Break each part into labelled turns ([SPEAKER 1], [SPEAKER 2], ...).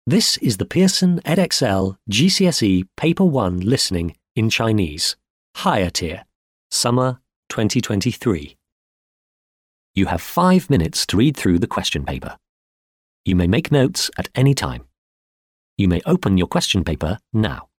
[SPEAKER 1] This is the Pearson Edexcel GCSE Paper 1 Listening in Chinese, Higher Tier, Summer 2023. You have 5 minutes to read through the question paper. You may make notes at any time. You may open your question paper now.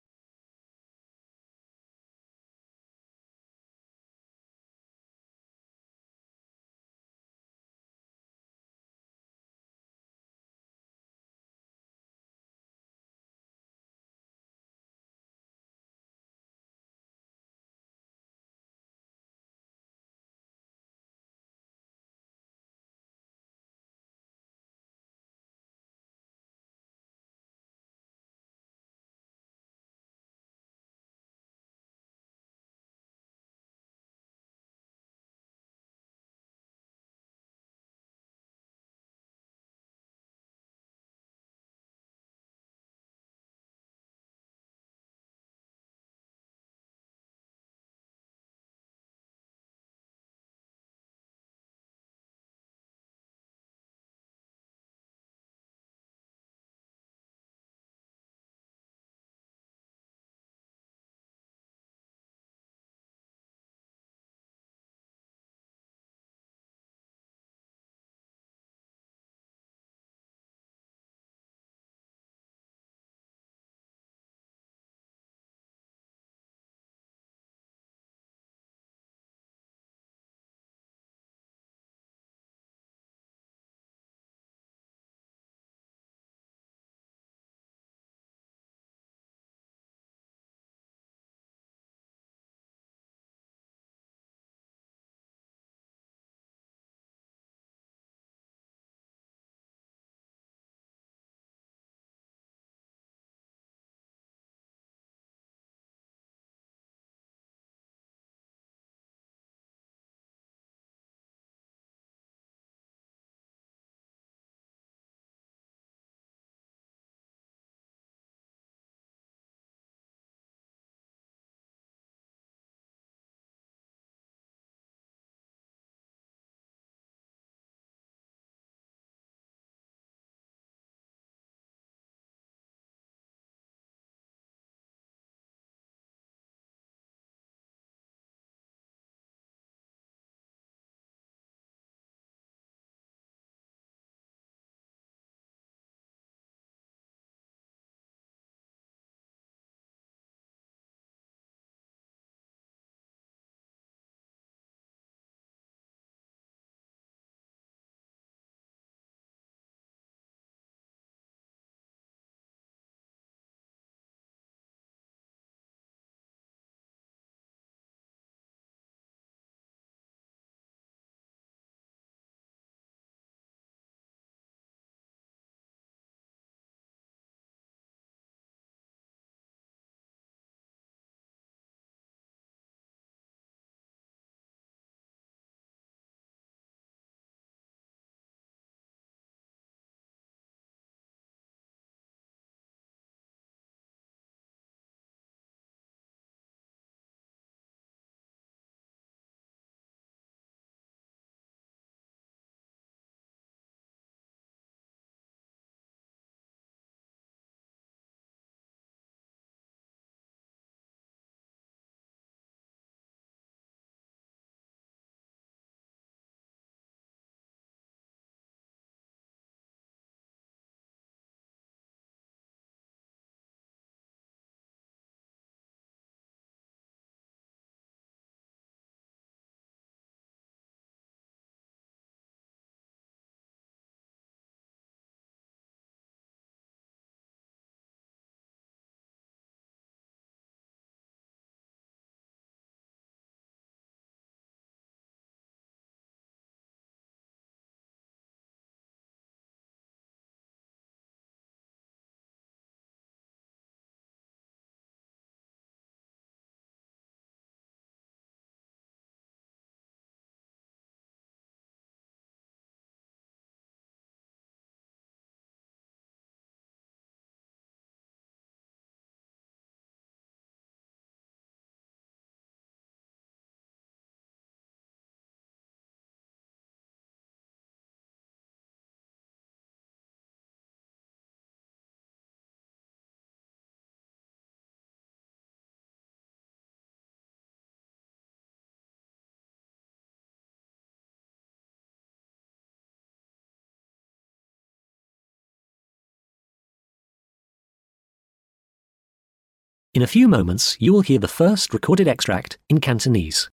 [SPEAKER 1] In a few moments, you will hear the first recorded extract in Cantonese.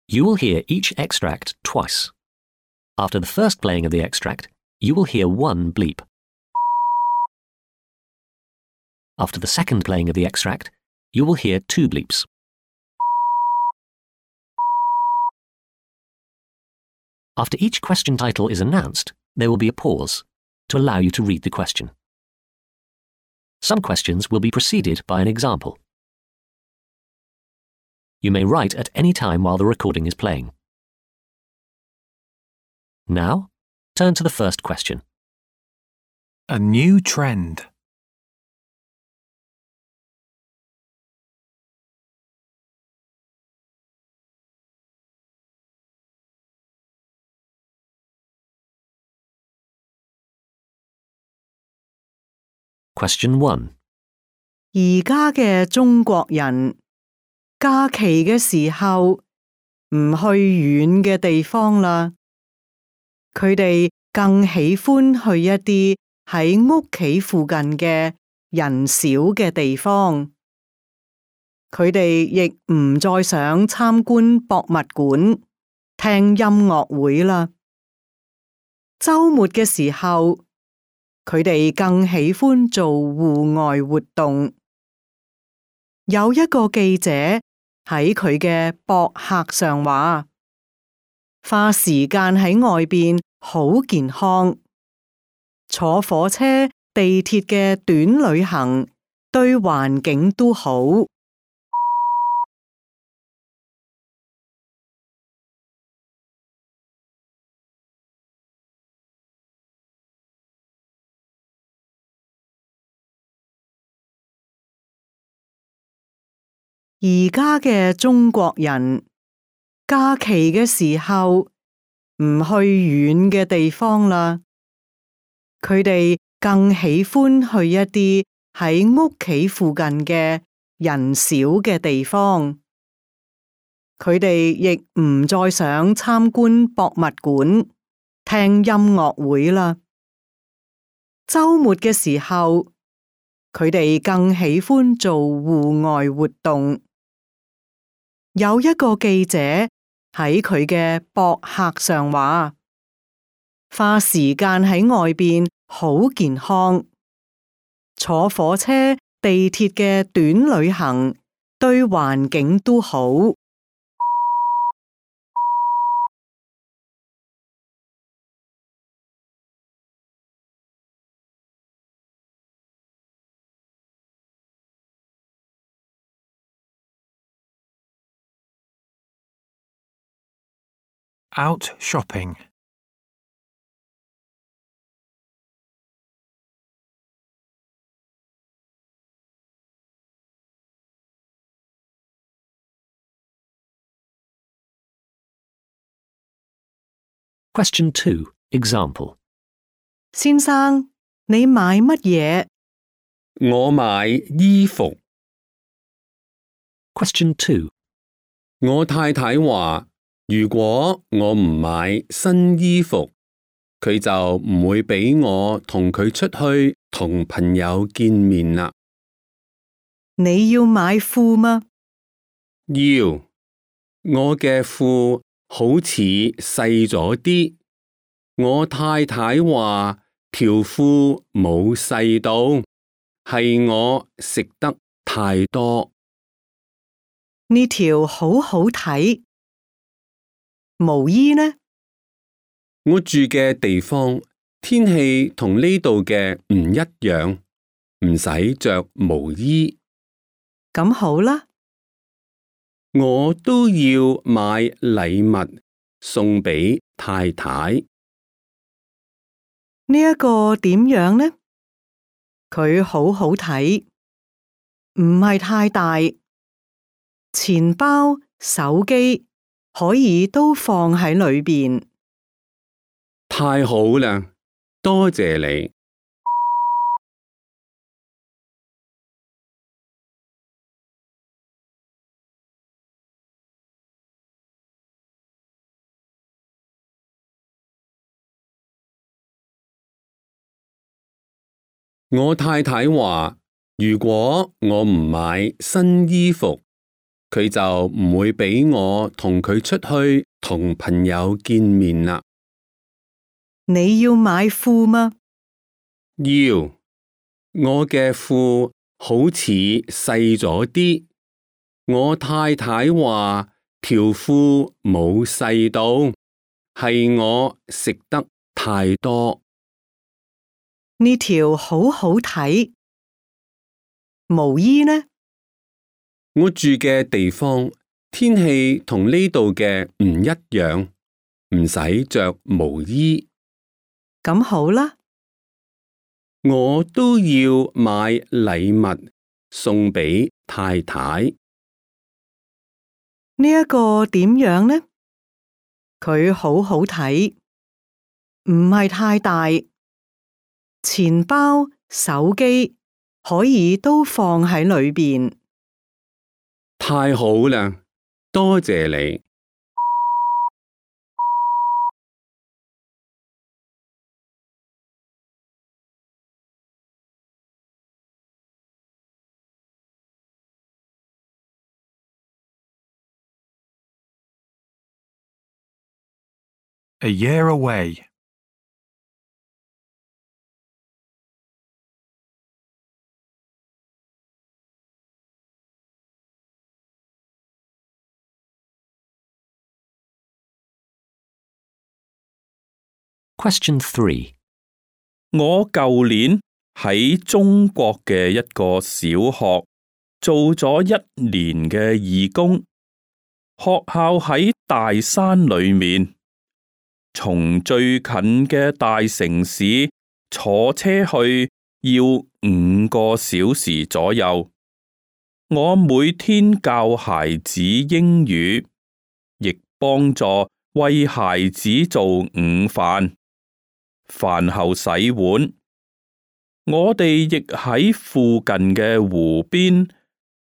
[SPEAKER 1] You will hear each extract twice. After the first playing of the extract, you will hear one bleep. After the second playing of the extract, you will hear two bleeps. After each question title is announced, there will be a pause to allow you to read the question. Some questions will be preceded by an example. You may write at any time while the recording is playing. Now, turn to the first question.
[SPEAKER 2] A new trend.
[SPEAKER 1] Question 1.
[SPEAKER 3] 而家嘅中國人假期嘅時候唔去遠嘅地方啦，佢哋更喜歡去一啲喺屋企附近嘅人少嘅地方。佢哋亦唔再想參觀博物館、聽音樂會啦。週末嘅時候，佢哋更喜歡做戶外活動。有一個記者喺佢嘅博客上話，花時間喺外邊好健康，坐火車、地鐵嘅短旅行對環境都好。而家嘅中國人假期嘅時候唔去遠嘅地方啦，佢哋更喜歡去一啲喺屋企附近嘅人少嘅地方。佢哋亦唔再想參觀博物館、聽音樂會啦。週末嘅時候，佢哋更喜歡做戶外活動。有一個記者喺佢嘅博客上話，花時間喺外邊好健康，坐火車、地鐵嘅短旅行對環境都好。
[SPEAKER 2] Out shopping.
[SPEAKER 1] Question 2. Example.
[SPEAKER 3] 先生，你買乜嘢？
[SPEAKER 4] 我買衣服。
[SPEAKER 1] Question 2.
[SPEAKER 4] 我太太話，如果我唔買新衣服，佢就唔會俾我同佢出去同朋友見面啦。
[SPEAKER 3] 你要買褲嗎？
[SPEAKER 4] 要，我嘅褲好似細咗啲。我太太話條褲冇細到，係我食得太多。
[SPEAKER 3] 呢條好好睇。毛衣呢？
[SPEAKER 4] 我住嘅地方天氣同呢度嘅唔一樣，唔使着毛衣。
[SPEAKER 3] 咁好啦。
[SPEAKER 4] 我都要買禮物送俾太太。
[SPEAKER 3] 呢一個點樣呢？佢好好睇，唔係太大，錢包、手機可以都放喺裏邊。
[SPEAKER 4] 太好啦，多謝你。我太太話，如果我唔買新衣服，佢就唔會俾我同佢出去同朋友見面啦。
[SPEAKER 3] 你要買褲嗎？
[SPEAKER 4] 要，我嘅褲好似細咗啲。我太太話條褲冇細到，係我食得太多。
[SPEAKER 3] 呢條好好睇。毛衣呢？
[SPEAKER 4] 我住嘅地方天氣同呢度嘅唔一樣，唔使着毛衣。
[SPEAKER 3] 咁好啦。
[SPEAKER 4] 我都要買禮物送俾太太。
[SPEAKER 3] 呢一個點樣呢？佢好好睇，唔係太大，錢包、手機可以都放喺裏邊。
[SPEAKER 4] 太好啦，多謝你。
[SPEAKER 2] A year away.
[SPEAKER 1] Question 3.
[SPEAKER 5] 我舊年喺中國嘅一個小學做咗1年嘅義工，學校喺大山裏面，從最近嘅大城市坐車去要5個小時左右。我每天教孩子英語，亦幫助為孩子做午飯。飯後洗碗，我哋亦喺附近嘅湖邊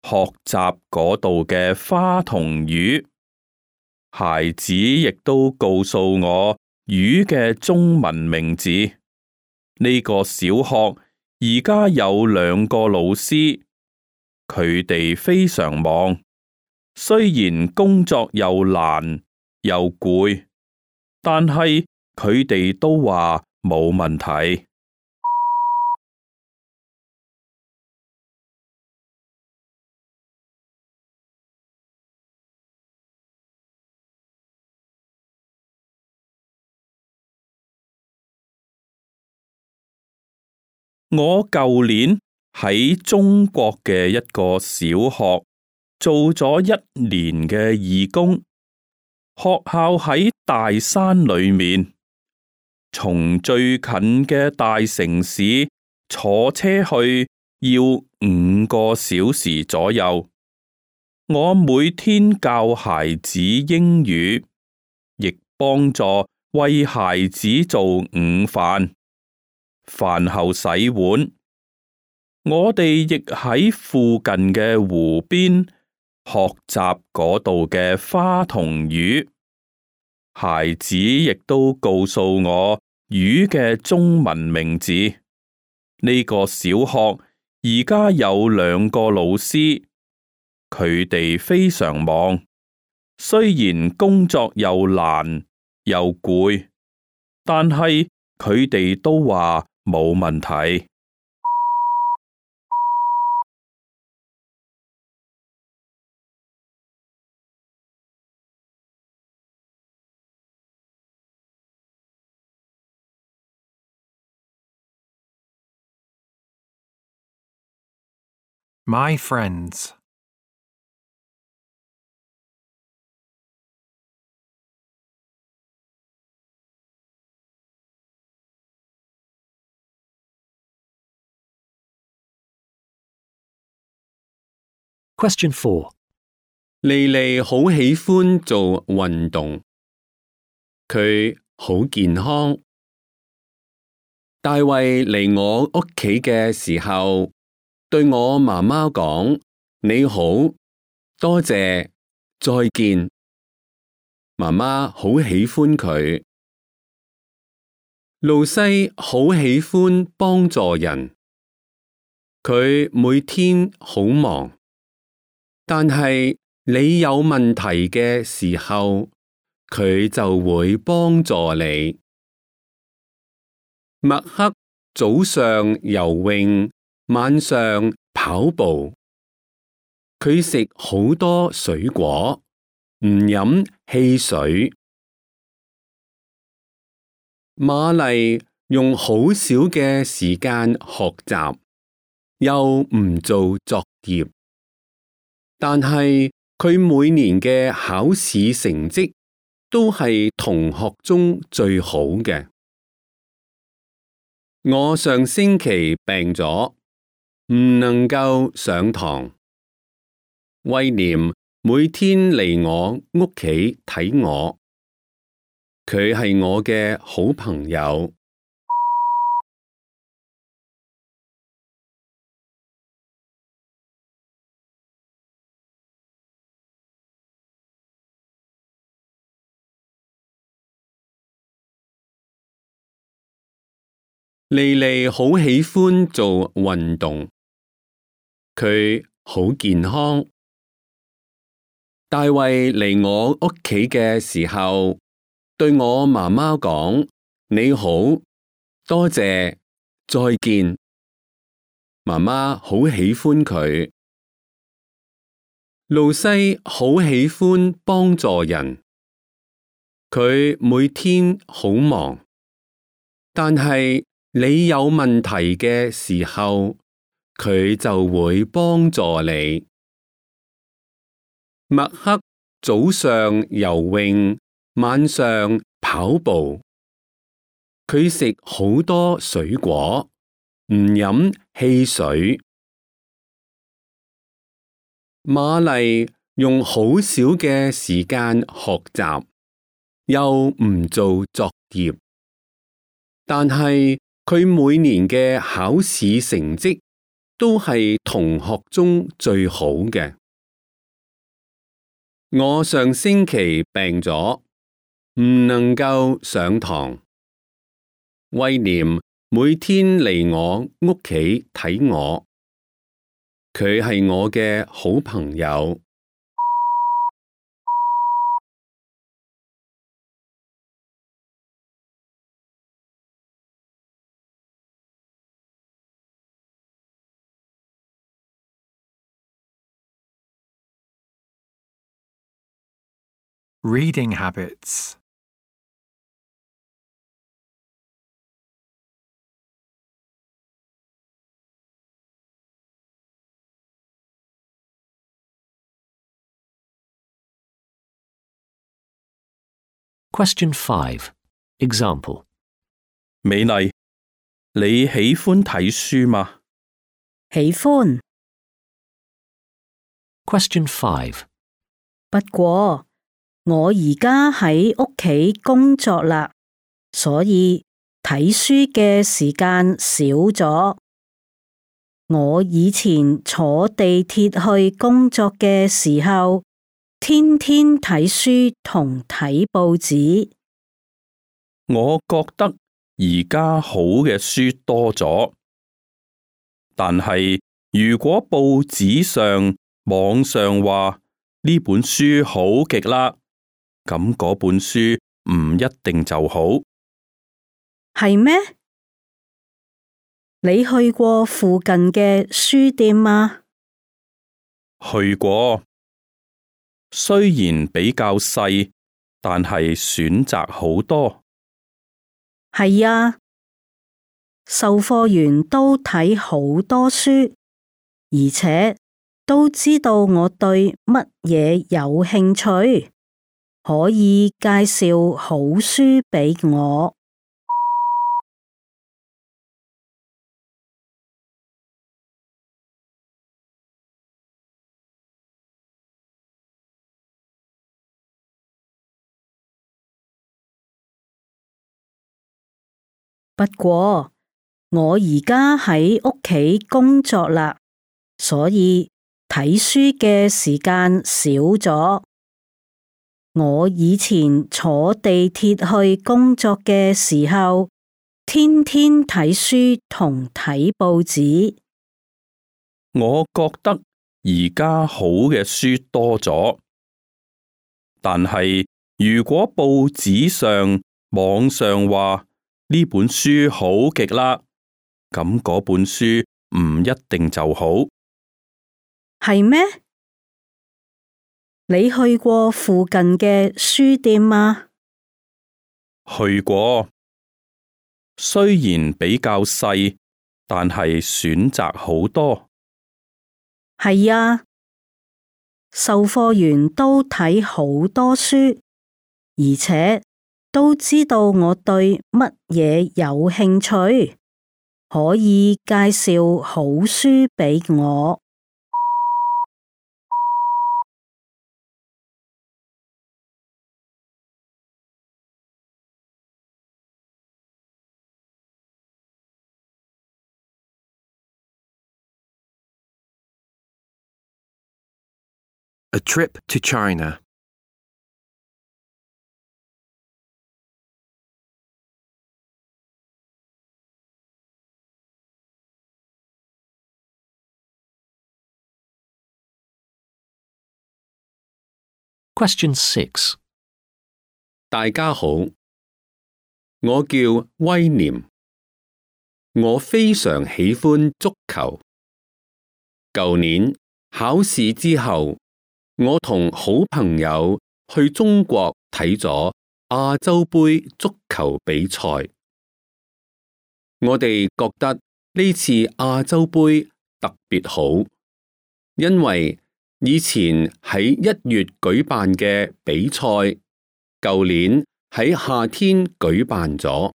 [SPEAKER 5] 學習嗰度嘅花同魚。孩子亦都告訴我魚嘅中文名字。呢個小學而家有2個老師，佢哋非常忙，雖然工作又難又攰，但係佢哋都話冇問題。我舊年喺中國嘅一個小學做咗1年嘅義工，學校喺大山裏面，從最近嘅大城市坐車去要5個小時左右。我每天教孩子英語，亦幫助為孩子做午飯。飯後洗碗，我哋亦喺附近嘅湖邊學習嗰度嘅花同魚。孩子亦都告訴我魚嘅中文名字。呢個小學而家有2個老師，佢哋非常忙，雖然工作又難又攰，但係佢哋都話冇問題。
[SPEAKER 2] My friends.
[SPEAKER 1] Question 4.
[SPEAKER 4] 莉莉好喜歡做運動，佢好健康。大衛嚟我屋企嘅時候，對我媽媽講：你好，多謝，再見。媽媽好喜歡佢。露西好喜歡幫助人。佢每天好忙，但係你有問題嘅時候，佢就會幫助你。麥克早上游泳，晚上跑步。佢食好多水果，唔飲汽水。瑪麗用好少嘅時間學習，又唔做作業，但係佢每年嘅考試成績都係同學中最好嘅。我上星期病咗，唔能夠上堂。威廉每天嚟我屋企睇我，佢係我嘅好朋友。莉莉好喜歡做運動，佢好健康。大衛嚟我屋企嘅時候，對我媽媽講：你好，多謝，再見。媽媽好喜歡佢。露西好喜歡幫助人，佢每天好忙，但係你有問題嘅時候，佢就會幫助你。麥克早上游泳，晚上跑步。佢食好多水果，唔飲汽水。瑪麗用好少嘅時間學習，又唔做作業，但係佢每年嘅考試成績都係同學中最好嘅。我上星期病咗，唔能夠上堂。威廉每天嚟我屋企睇我，佢係我嘅好朋友。
[SPEAKER 2] Reading habits.
[SPEAKER 1] Question 5. Example.
[SPEAKER 5] 美麗，你喜歡睇書嗎？
[SPEAKER 6] 喜歡，
[SPEAKER 1] Question 5.
[SPEAKER 6] 不過我而家喺屋企工作啦，所以睇書嘅時間少咗。我以前坐地鐵去工作嘅時候，天天睇書同睇報紙。
[SPEAKER 5] 我覺得而家好嘅書多咗，但係如果報紙上、網上話呢本書好極啦，咁嗰本書唔一定就好。
[SPEAKER 6] 係咩？你去過附近嘅書店嗎？
[SPEAKER 5] 去過，雖然比較細，但係選擇好多。
[SPEAKER 6] 係啊，售貨員都睇好多書，而且都知道我對乜嘢有興趣，可以介紹好書俾我。不過我而家喺屋企工作啦，所以睇書嘅時間少咗。我以前坐地鐵去工作嘅時候，天天睇書同睇報紙。
[SPEAKER 5] 我覺得而家好嘅書多咗，但係如果報紙上、網上話呢本書好極啦，咁嗰本書唔一定就好。
[SPEAKER 6] 係咩？你去過附近嘅書店嗎？
[SPEAKER 5] 去過，雖然比較細，但係選擇好多。
[SPEAKER 6] 係啊，售貨員都睇好多書，而且都知道我對乜嘢有興趣，可以介紹好書俾我。
[SPEAKER 2] A trip to China.
[SPEAKER 1] Question 6.
[SPEAKER 4] 大家好，我叫威廉，我非常喜歡足球。舊年考試之後，我同好朋友去中國睇咗亞洲盃足球比賽。我哋覺得呢次亞洲盃特別好，因為以前喺1月舉辦嘅比賽，舊年喺夏天舉辦咗。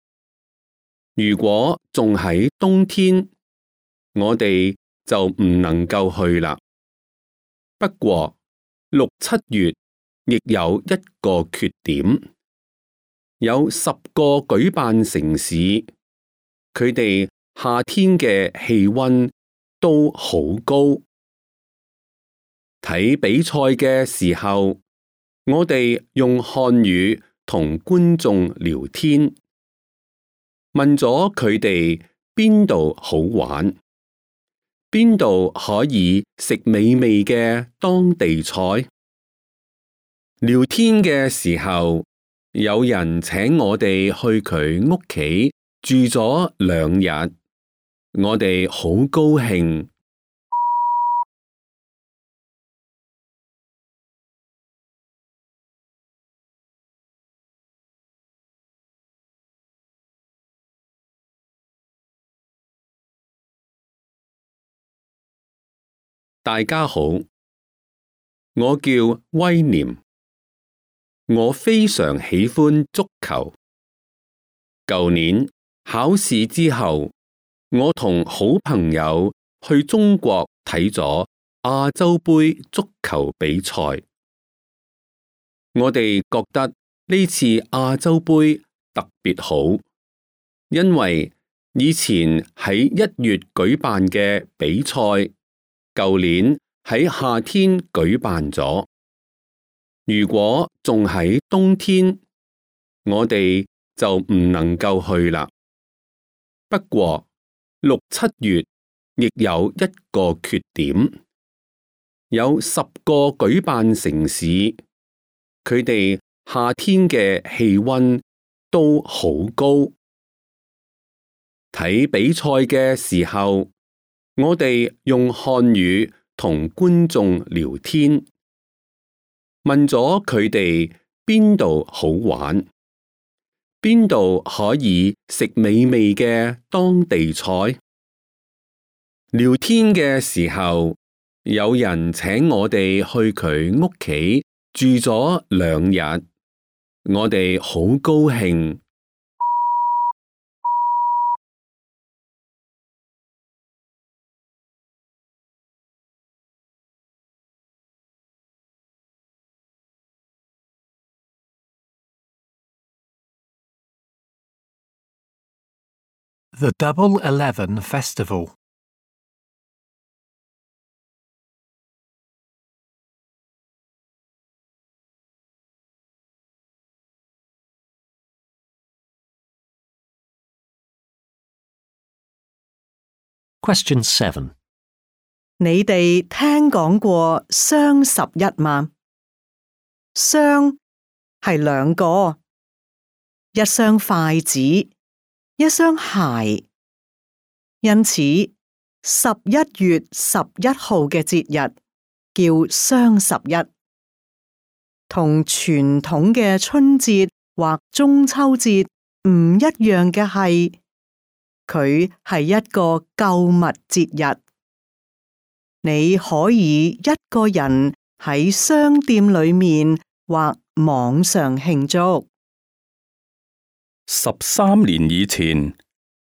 [SPEAKER 4] 如果仲喺冬天，我哋就唔能夠去啦。不過6、7月亦有一個缺點，有10個舉辦城市，佢哋夏天嘅氣溫都好高。睇比賽嘅時候，我哋用漢語同觀眾聊天，問咗佢哋邊度好玩，邊度可以食美味嘅當地菜。聊天嘅時候，有人請我哋去佢屋企住咗2日，我哋好高興。大家好，我叫威廉，我非常喜歡足球。舊年考試之後，我同好朋友去中國睇咗亞洲盃足球比賽。我哋覺得呢次亞洲盃特別好，因為以前喺1月舉辦嘅比賽，舊年喺夏天舉辦咗。如果仲喺冬天，我哋就唔能夠去啦。不過6、7月亦有一個缺點，有10個舉辦城市，佢哋夏天嘅氣溫都好高。睇比賽嘅時候，我哋用漢語同觀眾聊天，問咗佢哋邊度好玩，邊度可以食美味嘅當地菜。聊天嘅時候，有人請我哋去佢屋企住咗2日，我哋好高興。
[SPEAKER 2] The Double 11 Festival.
[SPEAKER 1] Question 7.
[SPEAKER 3] 你哋聽講過雙11嗎？雙係兩個，一雙筷子，一雙鞋。因此11月11號嘅節日叫雙11，同傳統嘅春節或中秋節唔一樣嘅係，佢係一個購物節日。你可以一個人喺商店裏面或網上慶祝。
[SPEAKER 5] 13年以前，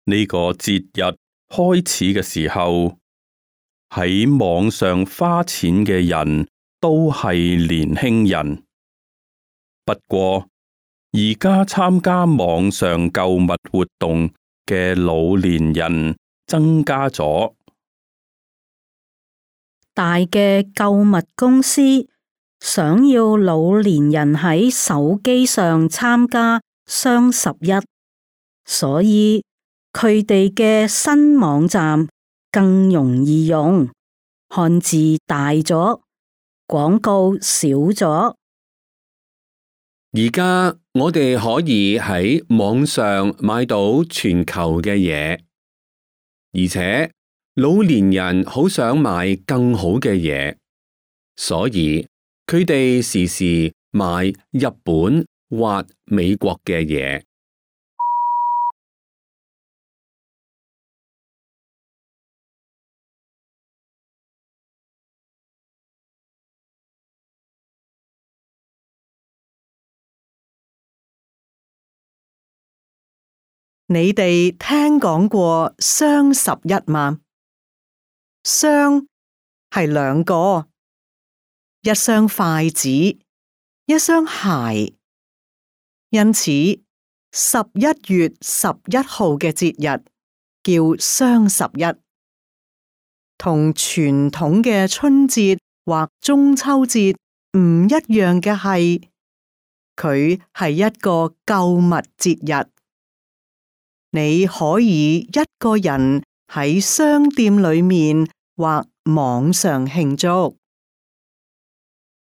[SPEAKER 5] 呢個節日開始嘅時候，喺網上花錢嘅人都係年輕人。不過，而家參加網上購物活動嘅老年人增加咗。
[SPEAKER 6] 大嘅購物公司想要老年人喺手機上參加雙11，所以佢哋嘅新網站更容易用，漢字大咗，廣告少咗。
[SPEAKER 4] 而家我哋可以喺網上買到全球嘅嘢，而且老年人好想買更好嘅嘢，所以佢哋時時買日本或美國嘅嘢。
[SPEAKER 3] 你哋聽講過雙11嗎？雙係兩個，一雙筷子，一雙鞋。因此11月11號嘅節日叫雙11，同傳統嘅春節或中秋節唔一樣嘅係，佢係一個購物節日。你可以一個人喺商店裏面或網上慶祝。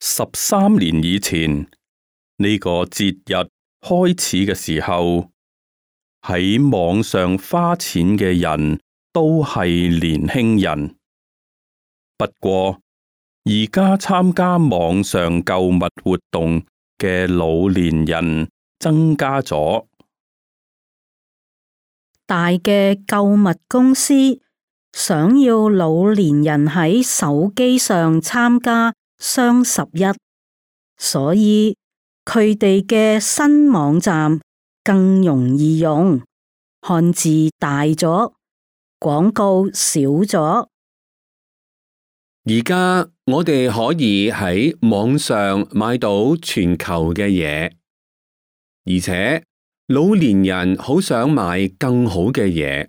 [SPEAKER 5] 13年以前，呢個節日開始嘅時候，喺網上花錢嘅人都係年輕人。不過，而家參加網上購物活動嘅老年人增加咗。
[SPEAKER 6] 大嘅購物公司想要老年人喺手機上參加雙11，所以佢哋嘅新網站更容易用，漢字大咗，廣告少咗。
[SPEAKER 4] 而家我哋可以喺網上買到全球嘅嘢，而且老年人好想買更好嘅嘢，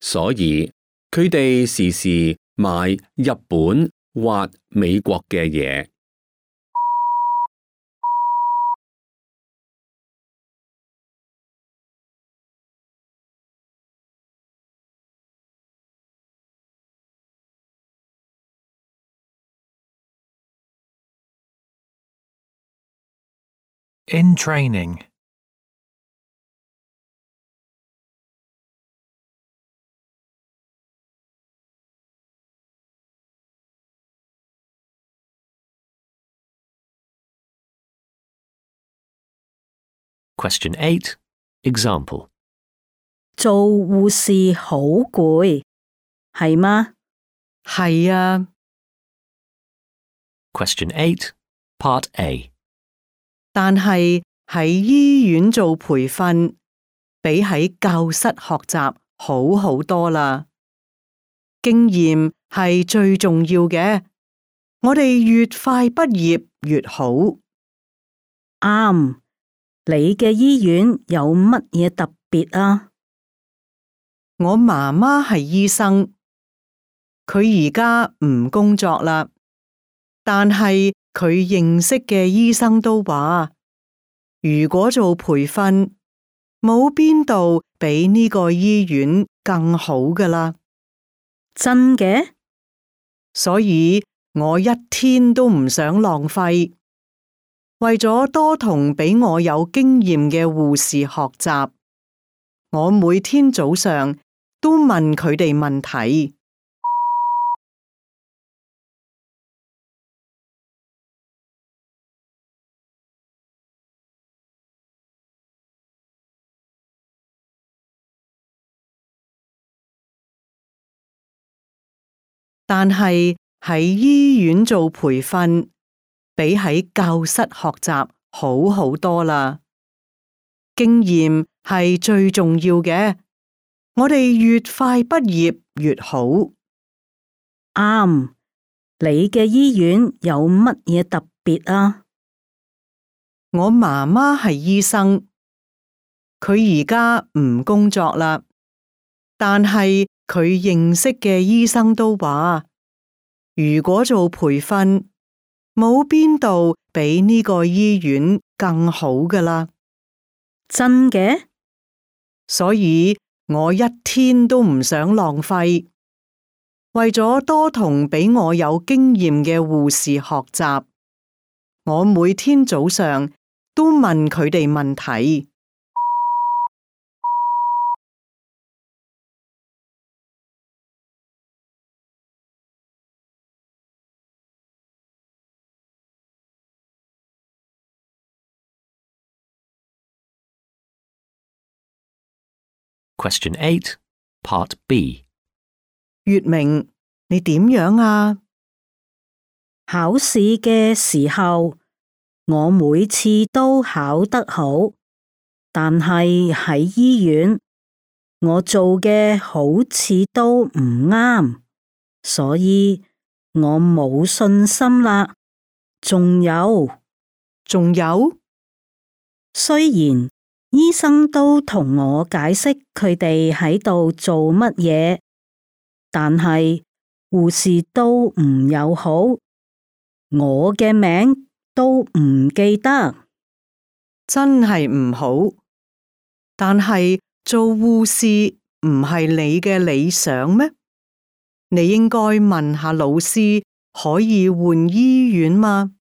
[SPEAKER 4] 所以佢哋時時買日本或美國嘅嘢。
[SPEAKER 2] In training.
[SPEAKER 1] Question 8. Example.
[SPEAKER 6] 做護士好攰，係嗎？
[SPEAKER 3] 係啊。
[SPEAKER 1] Question 8. Part A.
[SPEAKER 3] 但係喺醫院做培訓，比喺教室學習好好多啦。經驗係最重要嘅，我哋越快畢業越好。
[SPEAKER 6] 啱，你嘅醫院有乜嘢特別啊？
[SPEAKER 3] 我媽媽係醫生，佢而家唔工作啦，但係佢認識嘅醫生都話，如果做培訓，冇邊度比呢個醫院更好㗎啦。
[SPEAKER 6] 真嘅？
[SPEAKER 3] 所以我一天都唔想浪費。為咗多同比我有經驗嘅護士學習，我每天早上都問佢哋問題。但係喺醫院做培訓，比喺教室學習好好多啦。經驗係最重要嘅，我哋越快畢業越好。
[SPEAKER 6] 啱，你嘅醫院有乜嘢特別啊？
[SPEAKER 3] 我媽媽係醫生，佢而家唔工作啦，但係佢認識嘅醫生都話，如果做培訓，冇邊度比呢個醫院更好㗎啦。
[SPEAKER 6] 真嘅？
[SPEAKER 3] 所以我一天都唔想浪費。為咗多同比我有經驗嘅護士學習，我每天早上都問佢哋問題。
[SPEAKER 1] Question 8, Part B.
[SPEAKER 3] 月明，你點樣啊？
[SPEAKER 6] 考試嘅時候，我每次都考得好，但係喺醫院，我做嘅好似都唔啱，所以我冇信心啦。仲有，雖然醫生都同我解釋佢哋喺度做乜嘢，但係護士都唔友好，我嘅名都唔記得，
[SPEAKER 3] 真係唔好。但係做護士唔係你嘅理想咩？你應該問下老師，可以換醫院嗎？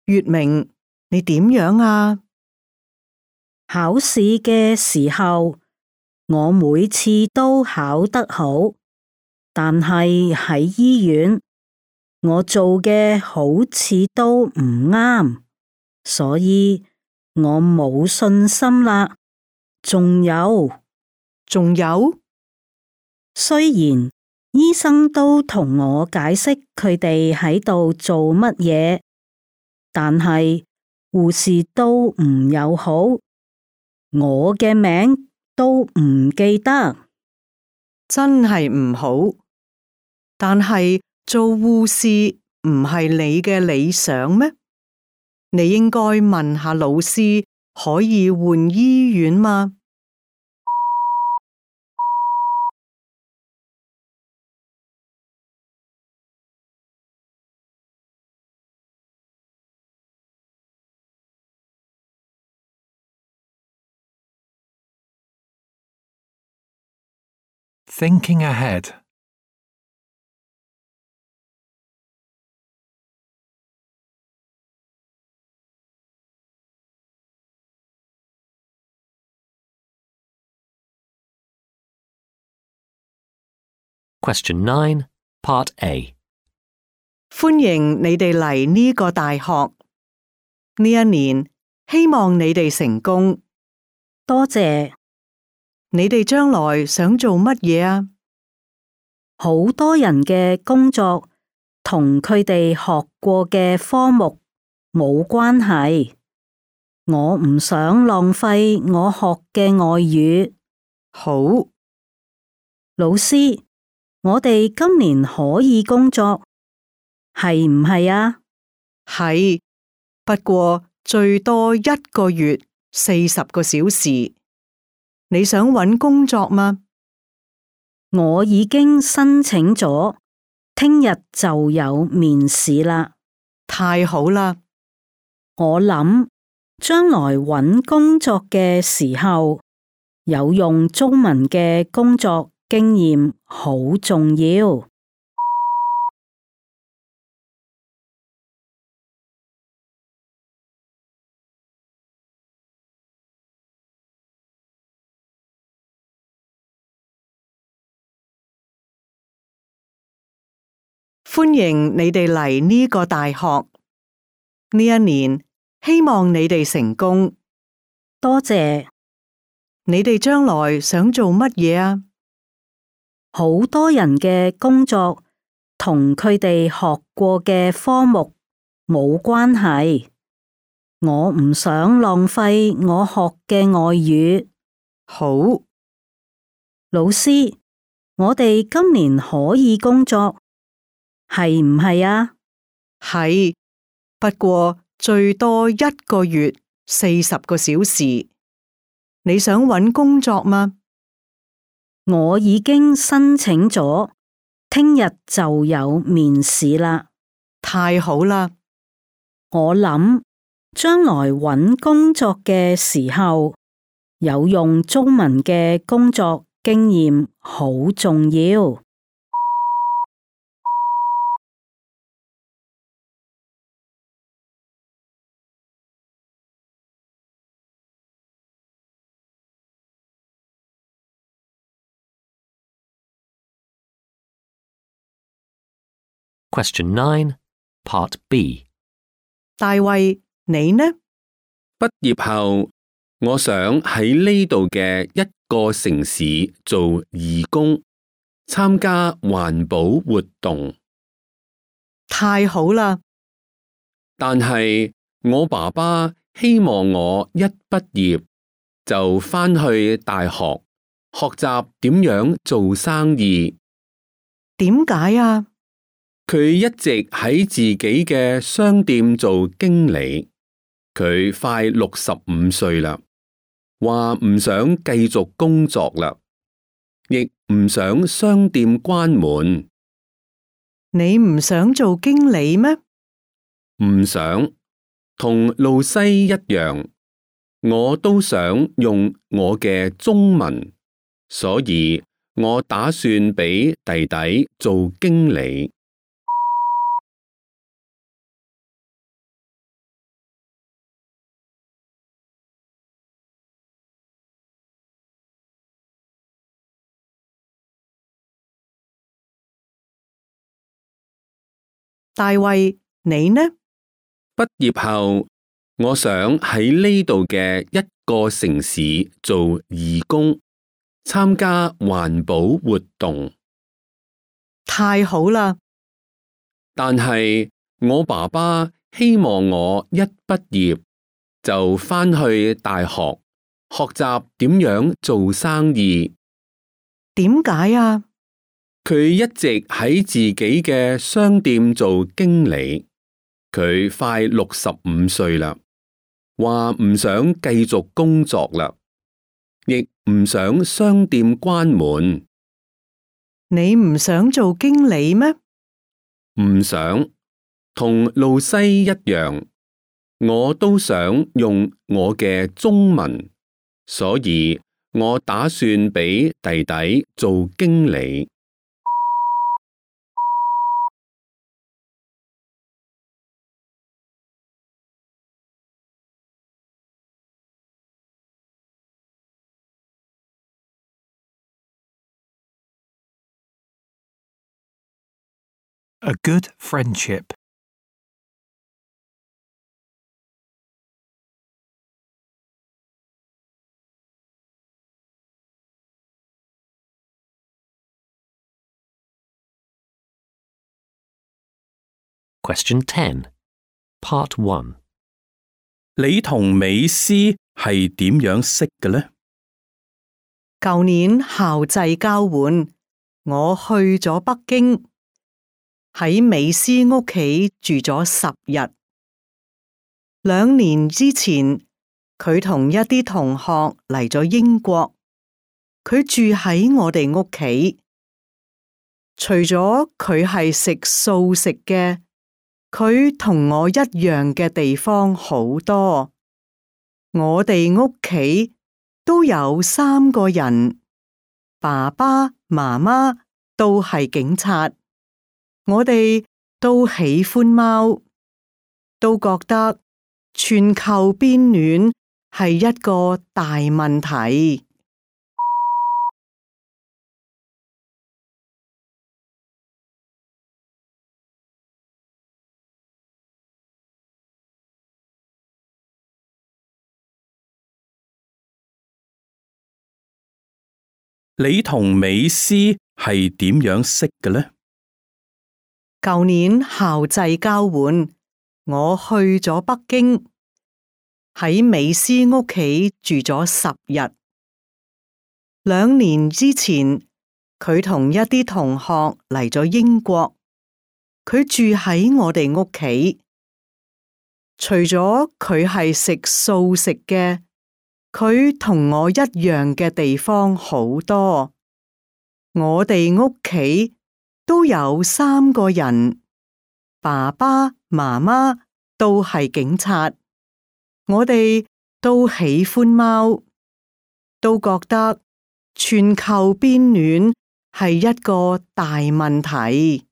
[SPEAKER 3] 月明，你點樣啊？
[SPEAKER 6] 考試嘅時候，我每次都考得好，但係喺醫院，我做嘅好似都唔啱，所以我冇信心啦。仲有，雖然醫生都同我解釋佢哋喺度做乜嘢，但係護士都唔友好，我嘅名都唔記得，
[SPEAKER 3] 真係唔好。但係做護士唔係你嘅理想咩？你應該問下老師，可以換醫院嗎？Thinking
[SPEAKER 2] ahead.
[SPEAKER 1] Question 9, Part A.
[SPEAKER 3] 歡迎你哋嚟呢個大學。呢一年，希望你哋成功。
[SPEAKER 6] 多謝。
[SPEAKER 3] 你哋將來想做乜嘢啊？
[SPEAKER 6] 好多人嘅工作同佢哋學過嘅科目冇關係，我唔想浪費我學嘅外語。
[SPEAKER 3] 好，
[SPEAKER 6] 老師，我哋今年可以工作，係唔係啊？
[SPEAKER 3] 係，不過最多一個月40個小時。你想搵工作嗎？
[SPEAKER 6] 我已經申請咗，聽日就有面試啦。
[SPEAKER 3] 太好啦！
[SPEAKER 6] 我諗將來揾工作嘅時候，有用中文嘅工作經驗好重要。
[SPEAKER 3] 歡迎你哋嚟呢個大學。呢一年，希望你哋成功。
[SPEAKER 6] 多謝。
[SPEAKER 3] 你哋將來想做乜嘢啊？
[SPEAKER 6] 好多人嘅工作同佢哋學過嘅科目冇關係。我唔想浪費我學嘅外語。
[SPEAKER 3] 好，
[SPEAKER 6] 老師，我哋今年可以工作，係唔係啊？
[SPEAKER 3] 係，不過最多1個月40個小時。你想揾工作嗎？
[SPEAKER 6] 我已經申請咗，聽日就有面試啦。
[SPEAKER 3] 太好啦！
[SPEAKER 6] 我諗將來揾工作嘅時候，有用中文嘅工作經驗好重要。
[SPEAKER 1] Question 9, Part B.
[SPEAKER 3] 大衛，你呢？
[SPEAKER 4] 畢業後，我想喺呢度嘅一個城市做義工，參加環保活動。
[SPEAKER 3] 太好啦！
[SPEAKER 4] 但係我爸爸希望我一畢業就返去大學學習點樣做生意。
[SPEAKER 3] 點解啊？
[SPEAKER 4] 佢一直喺自己嘅商店做經理，佢快65歲啦，話唔想繼續工作啦，亦唔想商店關門。
[SPEAKER 3] 你唔想做經理咩？
[SPEAKER 4] 唔想，同露西一樣，我都想用我嘅中文，所以我打算俾弟弟做經理。
[SPEAKER 3] 大衛，你呢？
[SPEAKER 4] 畢業後，我想喺呢度嘅一個城市做義工，參加環保活動。
[SPEAKER 3] 太好啦！
[SPEAKER 4] 但係我爸爸希望我一畢業就返去大學學習點樣做生意。
[SPEAKER 3] 點解啊？
[SPEAKER 4] 佢一直喺自己嘅商店做經理，佢快65歲啦，話唔想繼續工作啦，亦唔想商店關門。
[SPEAKER 3] 你唔想做經理咩？
[SPEAKER 4] 唔想，同露西一樣，我都想用我嘅中文，所以我打算俾弟弟做經理。
[SPEAKER 2] A good friendship.
[SPEAKER 1] Question 10, Part 1.
[SPEAKER 5] 你同美斯係點樣識嘅呢？
[SPEAKER 3] 舊年校際交換，我去咗北京，喺美斯屋企住咗10日。2年之前，佢同一啲同學嚟咗英國，佢住喺我哋屋企。除咗佢係食素食嘅，佢同我一樣嘅地方好多。我哋屋企都有3個人，爸爸、媽媽都係警察。我哋都喜歡貓，都覺得全球變暖係一個大問題。
[SPEAKER 5] 你同美斯係點樣識嘅呢？
[SPEAKER 3] 舊年校際交換，我去咗北京，喺美斯屋企住咗10日。2年之前，佢同一啲同學嚟咗英國，佢住喺我哋屋企。除咗佢係食素食嘅，佢同我一樣嘅地方好多。我哋屋企都有3個人，爸爸、媽媽都係警察。我哋都喜歡貓，都覺得全球變暖係一個大問題。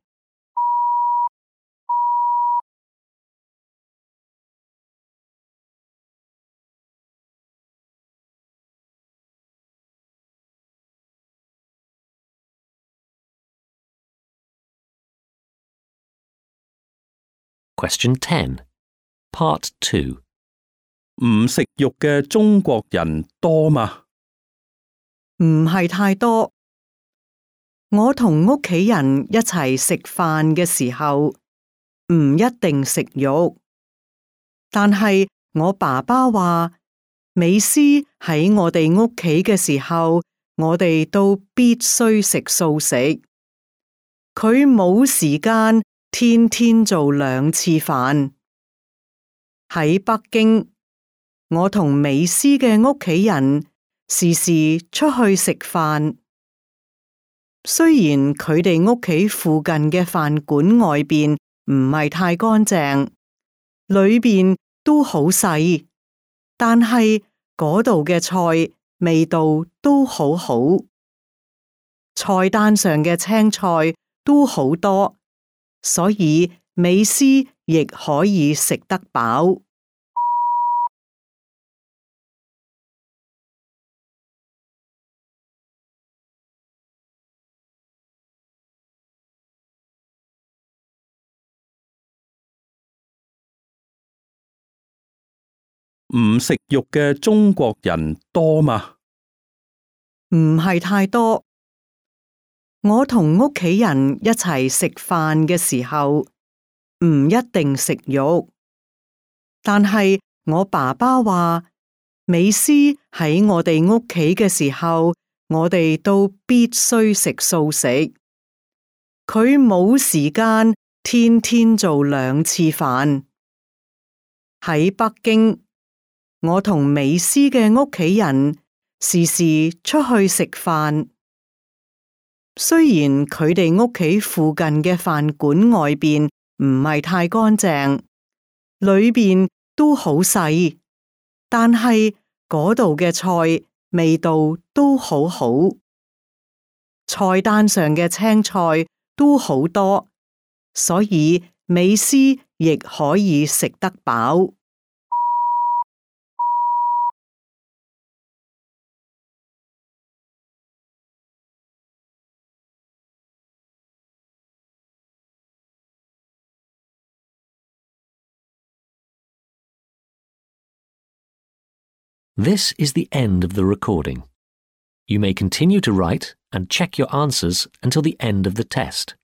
[SPEAKER 1] Question 10, Part 2.
[SPEAKER 5] 唔食肉嘅中國人多嗎？
[SPEAKER 3] 唔係太多。我同屋企人一齊食飯嘅時候，唔一定食肉。但係我爸爸話，美斯喺我哋屋企嘅時候，我哋都必須食素食。佢冇時間天天做2次飯。喺北京，我同美斯嘅屋企人時時出去食飯。雖然佢哋屋企附近嘅飯館外邊唔係太乾淨，裏邊都好細，但係嗰度嘅菜味道都好好。菜單上嘅青菜都好多，所以美斯亦可以食得飽。
[SPEAKER 5] 唔食肉嘅中國人多嗎？
[SPEAKER 3] 唔係太多。我同屋企人一齊食飯嘅時候，唔一定食肉。但係我爸爸話，美斯喺我哋屋企嘅時候，我哋都必須食素食。佢冇時間天天做2次飯。喺北京，我同美斯嘅屋企人時時出去食飯。雖然佢哋屋企附近嘅飯館外邊唔係太乾淨，裏邊都好細，但係嗰度嘅菜味道都好好。菜單上嘅青菜都好多，所以美斯亦可以食得飽。
[SPEAKER 1] This is the end of the recording. You may continue to write and check your answers until the end of the test.